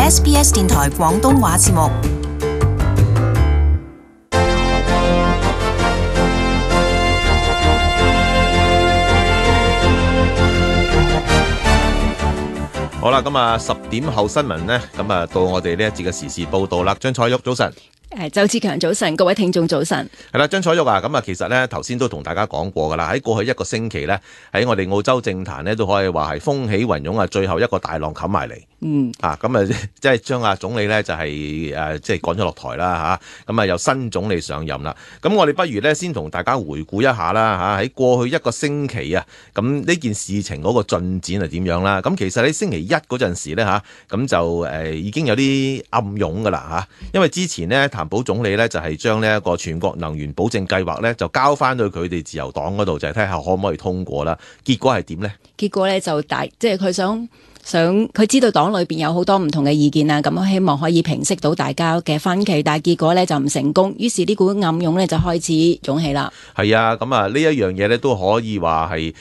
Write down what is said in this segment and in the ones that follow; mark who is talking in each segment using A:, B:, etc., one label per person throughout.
A: SBS 電台廣東話節目。
B: 好啦，咁啊10點後新聞呢，咁啊到我哋呢一節嘅時事報道啦。張彩玉，早晨。
C: 周志強，早晨，各位聽眾早晨。
B: 係啦，張彩玉啊，咁啊其實呢頭先都同大家講過噶啦，喺過去一個星期呢，喺我哋澳洲政壇呢，都可以話係風起雲湧啊，最後一個大浪冚埋嚟。咁啊即係將阿總理呢就係即係趕咗落台啦嚇，咁啊由新總理上任啦。咁我哋不如呢先同大家回顧一下啦嚇，喺過去一個星期啊，咁呢件事情嗰個進展係點樣啦？咁其實喺星期一嗰陣時呢，嚇，咁就已經有啲暗湧噶啦嚇，因為之前呢，譚寶總理呢就係將呢一個全國能源保證計劃呢就交翻到佢哋自由黨嗰度，就係睇下可唔可以通過啦。結果係點呢？
C: 結果呢就即係佢想佢知道黨裏邊有好多唔同嘅意見啊，咁希望可以平息到大家嘅分歧，但係結果呢就唔成功，於是呢股暗湧呢就開始湧起啦。
B: 係啊，咁啊呢一樣嘢呢都可以話係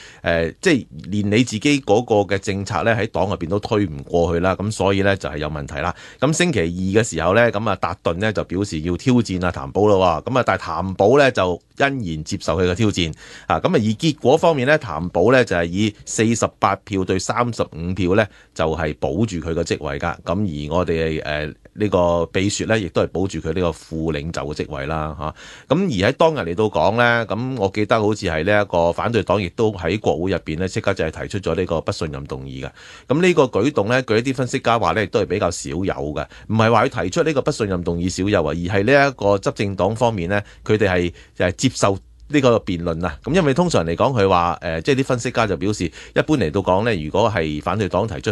B: 即係連你自己嗰個嘅政策呢喺黨入邊都推唔過去啦，咁所以呢就係有問題啦。咁星期二嘅時候呢，咁啊達頓呢就表示要挑戰啊譚寶咯，咁啊但係譚寶呢就欣然接受佢嘅挑戰啊，咁啊而結果方面呢，譚寶呢就係以48票對35票呢。就係保住佢個職位㗎，咁而我哋呢個秘書呢，亦都係保住佢呢個副領袖嘅職位啦嚇。咁而喺當日嚟到講呢，咁我記得好似係呢一個反對黨亦都喺國會入邊呢，即刻就係提出咗呢個不信任動議嘅。咁呢個舉動呢，據一啲分析家話呢，亦都係比較少有嘅，唔係話佢提出呢個不信任動議少有啊，而係呢一個執政黨方面呢，佢哋係接受呢個辯論啊。咁因為通常嚟講，佢話即係啲分析家就表示，一般嚟到講呢，如果係反對黨提出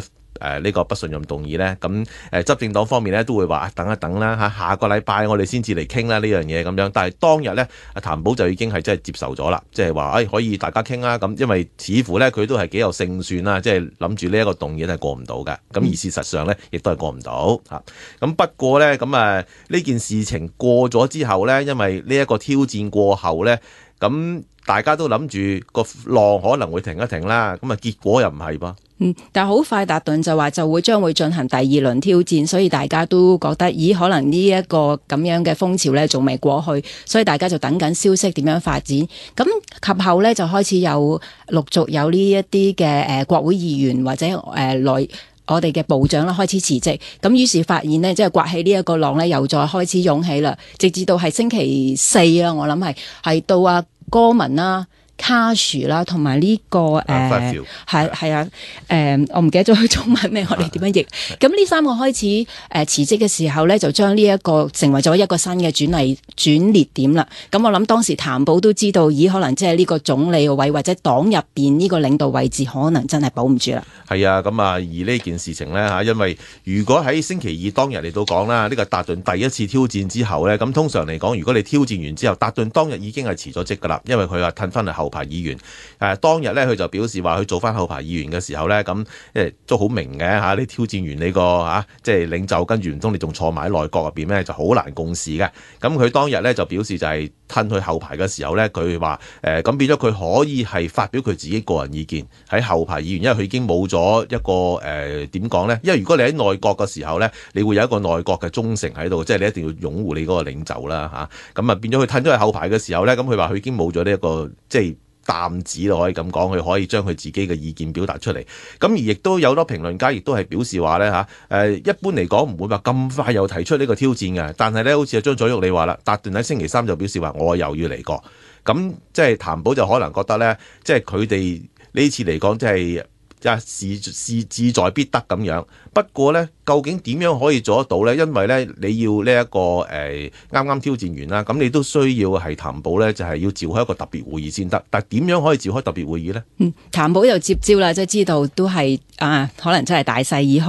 B: 呢個不信任動議呢，咁執政黨方面呢都會話等一等啦嚇，下個禮拜我哋先至嚟傾啦呢樣嘢咁樣。但係當日呢，阿譚寶就已經係真係接受咗啦，即係話可以大家傾啦咁，因為似乎呢，佢都係幾有勝算啦，即係諗住呢一個動議係過唔到嘅。咁而事實上呢，亦都係過唔到嚇。咁不過呢，咁呢件事情過咗之後呢，因為呢一個挑戰過後呢，咁大家都諗住個浪可能會停一停啦，咁結果又唔係噃。
C: 但係好快達頓就話將會進行第二輪挑戰，所以大家都覺得可能呢一個咁樣嘅風潮呢仲未過去，所以大家就等緊消息點樣發展。咁及後呢，就開始陸續有呢一啲嘅國會議員或者我哋嘅部長啦開始辭職，咁於是發現呢，即係刮起呢一個浪呢，又再開始湧起啦，直至到係星期四啊，我諗係到阿哥文啦、卡殊啦，同埋呢個係啊，我唔記得咗佢中文咩，我哋點樣譯？咁呢三個開始辭職嘅時候咧，就將呢一個成為咗一個新嘅轉捩點啦。咁我諗當時譚寶都知道，可能即係呢個總理位或者黨入邊呢個領導位置，可能真係保唔住啦。
B: 係啊，咁而呢件事情咧嚇，因為如果喺星期二當日嚟到講啦，呢個達頓第一次挑戰之後咧，咁通常嚟講，如果你挑戰完之後，達頓當日已經係辭咗職㗎啦，因為佢話褪翻嚟後排議員。當日咧，佢就表示話佢做翻後排議員嘅時候咧，咁都好明嘅嚇。你挑戰完你個即係領袖，跟住唔通你仲坐埋喺內閣入邊咩？就好難共事嘅。咁佢當日咧就表示就係褪去後排嘅時候咧，佢話咁變咗佢可以係發表佢自己個人意見喺後排議員，因為佢已經冇咗一個點講咧？因為如果你喺內閣嘅時候咧，你會有一個內閣嘅忠誠喺度，即係你一定要擁護你嗰個領袖啦嚇。咁變咗佢褪咗去後排嘅時候咧，咁佢話佢已經冇咗呢一個即係擔子咯，可以咁講，佢可以將佢自己嘅意見表達出嚟。咁而亦都有多評論家亦都係表示話咧一般嚟講唔會話咁快又提出呢個挑戰嘅。但係咧，好似阿張彩玉你話啦，達頓喺星期三就表示話我又要嚟過。咁即係譚寶就可能覺得咧，即係佢哋呢次嚟講即係事志在必得咁樣。不過咧，究竟點樣可以做得到咧？因為咧，你要呢一個啱啱挑戰完啦，咁你都需要係譚寶咧，就係要召開一個特別會議先得。但係點樣可以召開特別會議咧？
C: 譚寶就接招啦，即係知道都係可能真係大勢已去，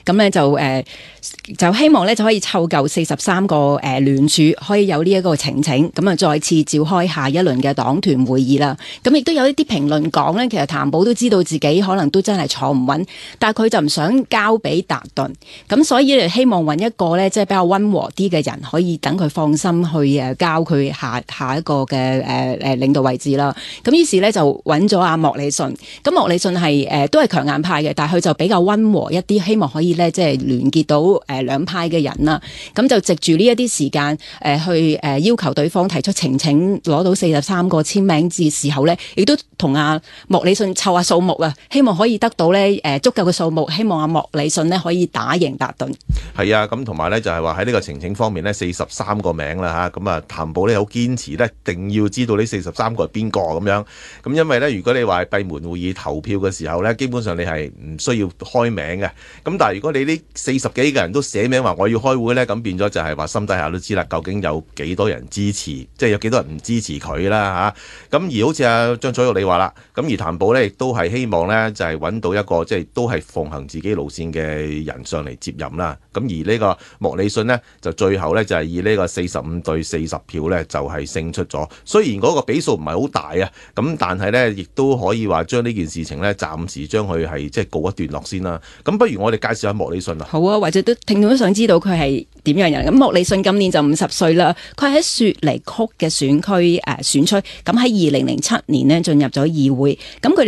C: 咁咧就希望咧就可以湊夠43個聯署，可以有呢一個呈請，咁再次召開下一輪嘅黨團會議啦。咁亦都有一啲評論講咧，其實譚寶都知道自己可能都都真係坐唔穩，但係佢就唔想交俾達頓，咁所以希望揾一個咧即係比較溫和啲嘅人，可以等佢放心去交佢下一個嘅領導位置啦。咁於是咧就揾咗阿莫里遜，咁莫里遜係都係強硬派嘅，但係佢就比較溫和一啲，希望可以咧即係聯結到兩派嘅人啦。咁就藉住呢一啲時間去要求對方提出呈請，攞到43個簽名字時候咧，亦都同阿莫里遜湊下數目啊，希望可以得到咧足夠嘅數目，希望阿莫里遜咧可以打贏達頓。
B: 係啊，咁同埋咧就係話喺呢個呈請方面咧，43個名啦嚇，咁啊譚寶咧好堅持咧，一定要知道呢43個係邊個咁樣。咁因為咧，如果你話係閉門會議投票嘅時候咧，基本上你係唔需要開名嘅。咁但係如果你呢40幾個人都寫名話我要開會咧，咁變咗就係話心底下都知啦，究竟有幾多人支持，即係有幾多人唔支持佢啦嚇。咁而好似阿張楚玉你話啦，咁而譚寶咧亦都係希望咧就係揾到一個即係都係奉行自己路線嘅人上嚟接任啦。咁而呢個莫里遜呢，就最後咧就係以呢個45對40票咧就係勝出咗。雖然嗰個比數唔係好大啊，咁但係咧亦都可以話將呢件事情咧暫時將佢係即係告一段落先啦。咁不如我哋介紹下莫里遜啊。
C: 好啊，或者都聽眾都想知道佢係點樣人。咁莫里遜今年就50歲啦，佢喺雪梨曲嘅選區選出，咁喺2007年呢進入咗議會。咁佢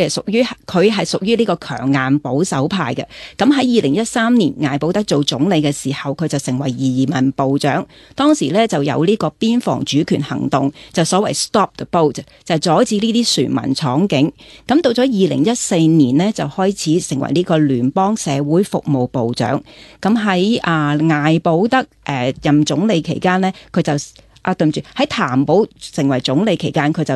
C: 係屬於呢個強硬保守派嘅。咁喺2013年艾保德做總理嘅時候，佢就成為移民部長。當時咧就有呢個邊防主權行動，就所謂 Stop the Boat， 就阻止呢啲船民闖境。咁到咗2014年呢，就開始成為呢個聯邦社會服務部長。咁喺艾保德任總理期間呢，佢就對唔住，喺譚寶成為總理期間，佢就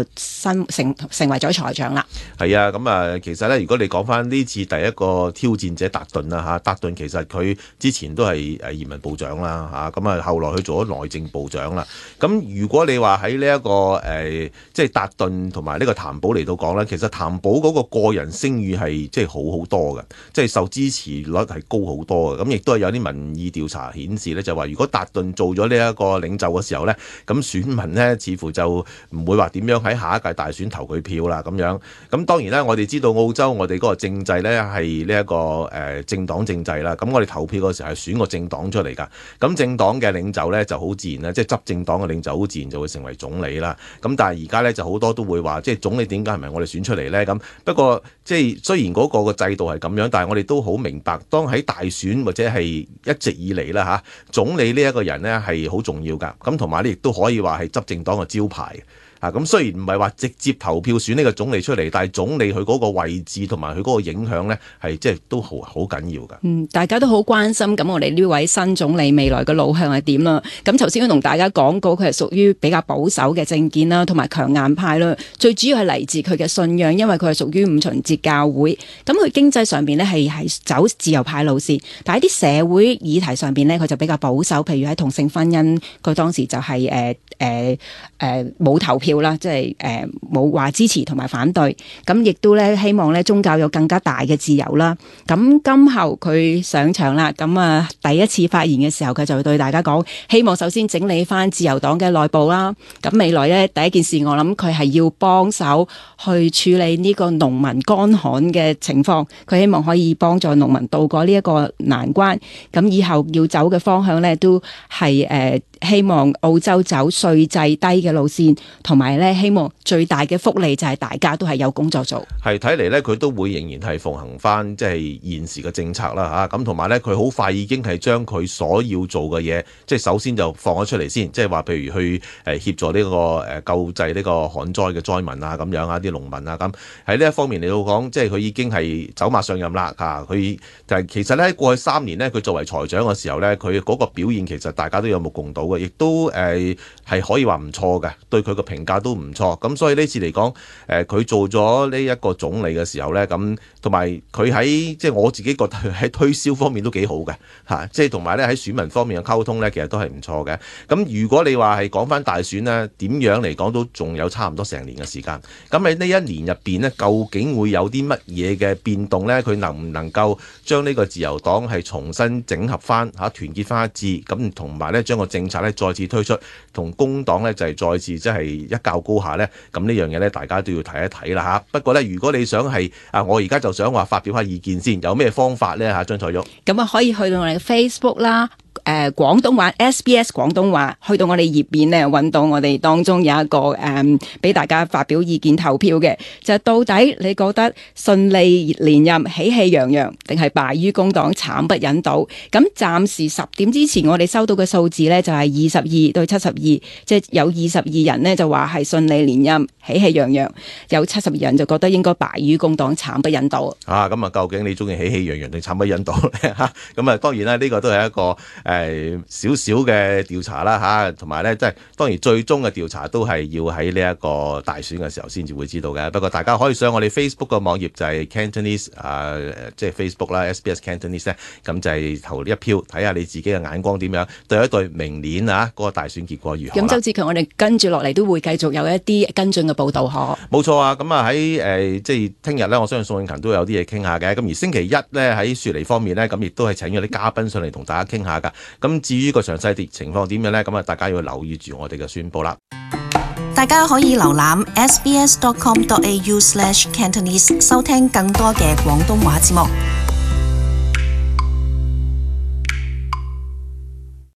C: 成為咗財長啦。
B: 係啊，咁啊，其實咧，如果你講翻呢次第一個挑戰者達頓啦嚇，達頓其實佢之前都係移民部長啦嚇，咁啊後來佢做咗內政部長啦。咁如果你話喺呢一個即係達頓同埋呢個譚寶嚟到講咧，其實譚寶嗰個人聲譽係即係好多嘅，即係受支持率係高好多嘅。咁亦都係有啲民意調查顯示咧，就話如果達頓做咗呢一個領袖嘅時候咧，咁選民呢，似乎就唔會話點樣喺下一屆大選投佢票啦咁樣。咁當然啦，我哋知道澳洲我哋嗰個政制呢係呢一個政黨政制啦。咁我哋投票嗰時候係選個政黨出嚟㗎。咁政黨嘅領袖呢就好自然啦，即係執政黨嘅領袖好自然就會成為總理啦。咁但係而家呢，就好多都會話，即係總理點解唔係我哋選出嚟呢？咁不過即係雖然嗰個制度係咁樣，但係我哋都好明白，當喺大選或者係一直以嚟啦嚇，總理呢一個人呢係好重要㗎。咁同埋呢亦都可以話係執政黨嘅招牌。咁雖然唔係話直接投票選呢個總理出嚟，但係總理佢嗰個位置同埋佢嗰個影響呢，係即係都好緊要㗎。
C: 大家都好關心咁我哋呢位新總理未來嘅路向係點啦。咁頭先都同大家講過，佢係屬於比較保守嘅政見啦，同埋強硬派啦。最主要係嚟自佢嘅信仰，因為佢係屬於五旬節教會。咁佢經濟上邊呢係走自由派路線，但係啲社會議題上邊呢，佢就比較保守。譬如喺同性婚姻，佢當時就係冇投票啦，即係冇話支持同埋反對，咁亦都咧希望咧宗教有更加大嘅自由啦。咁今後佢上場啦，咁第一次發言嘅時候，佢就會對大家講，希望首先整理翻自由黨嘅內部啦。咁未來咧第一件事，我諗佢係要幫手去處理呢個農民乾旱嘅情況，佢希望可以幫助農民渡過呢一個難關。咁以後要走嘅方向咧，都係希望澳洲走稅制低嘅路線，同埋咧希望最大嘅福利就係大家都係有工作做。
B: 係睇嚟咧，佢都會仍然係奉行翻即係現時嘅政策啦嚇。咁同埋咧，佢好快已經係將佢所要做嘅嘢，即係首先就放咗出嚟先，即係話譬如去協助呢個救濟呢個旱災嘅災民啊咁樣啊，啲農民啊咁喺呢一方面嚟到講，即係佢已經係走馬上任啦嚇。佢就係其實咧過去3年呢，佢作為財長嘅時候咧，佢嗰個表現其實大家都有目共睹嘅，亦都係可以話唔錯嘅，對佢個評價都唔錯。咁所以呢次嚟講，佢做咗呢一個總理嘅時候咧，咁同埋佢喺即係我自己覺得喺推銷方面都幾好嘅嚇，即係同埋咧喺選民方面嘅溝通咧，其實都係唔錯嘅。咁如果你話係講翻大選呢，點樣嚟講都仲有差唔多成年嘅時間。咁喺呢一年入邊呢，究竟會有啲乜嘢嘅變動咧？佢能唔能夠將呢個自由黨係重新整合翻嚇，團結翻一致，咁同埋咧將個政策咧再次推出，同工黨咧就係再次即係一較高下咧，咁呢樣嘢咧大家都要睇一睇啦嚇。不過咧，如果你想係我而家就想話發表下意見先，有咩方法咧嚇？張彩玉
C: 咁啊，可以去到我哋嘅 Facebook 啦。廣東話 SBS 廣東話，去到我哋頁面咧，揾到我哋當中有一個俾大家發表意見投票嘅，就到底你覺得順利連任喜氣洋洋，定係敗於工黨慘不忍睹？咁暫時10點之前我哋收到嘅數字呢，就係22對72，即係有22人呢就話係順利連任喜氣洋洋，有72人就覺得應該敗於工黨慘不忍睹。
B: 咁究竟你中意喜氣洋洋定慘不忍睹咧嚇？咁當然啦，呢個都係一個少少嘅調查啦嚇，同埋咧即係當然最終嘅調查都係要喺呢一個大選嘅時候先至會知道嘅。不過大家可以上我哋 Facebook 個網頁就係 Cantonese 即係 Facebook 啦 SBS Cantonese 咧，咁就係投一票睇下你自己嘅眼光點樣，對一對明年嗰個大選結果如何。
C: 咁周志強，我哋跟住落嚟都會繼續有一啲跟進嘅報導可。
B: 冇錯啊，咁喺即係聽日咧，我相信宋永勤都有啲嘢傾下嘅。咁而星期一咧喺雪梨方面咧，咁亦都係請咗啲嘉賓上嚟同大家傾下㗎。咁至於個詳細情況點樣呢？咁大家要留意住我哋嘅宣佈啦。
A: 大家可以瀏覽 sbs.com.au/cantonese 收聽更多嘅廣東話節目。